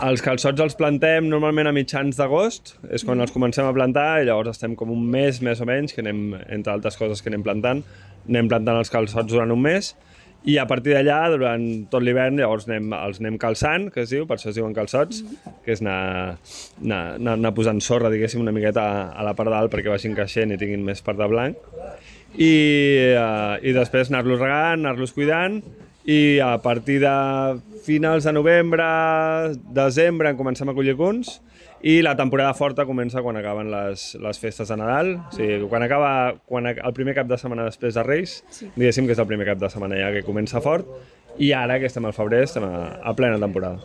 Els calçots els plantem normalment a mitjans d'agost, és quan els comencem a plantar, i llavors estem com un mes més o menys, que anem, entre altres coses que anem plantant els calçots durant un mes, i a partir d'allà, durant tot l'hivern, llavors els anem calçant, que es diu, per això es diuen calçots, que és anar posant sorra, diguéssim, una miqueta a la part dalt perquè vagin creixent i tinguin més part de blanc, i després anar-los regant, anar-los cuidant, i a partir de finals de novembre, desembre, en comencem a collir cuns, i la temporada forta comença quan acaben les festes de Nadal, o sigui, el primer cap de setmana després de Reis, diguéssim que és el primer cap de setmana ja que comença fort, i ara que estem al febrer estem a plena temporada.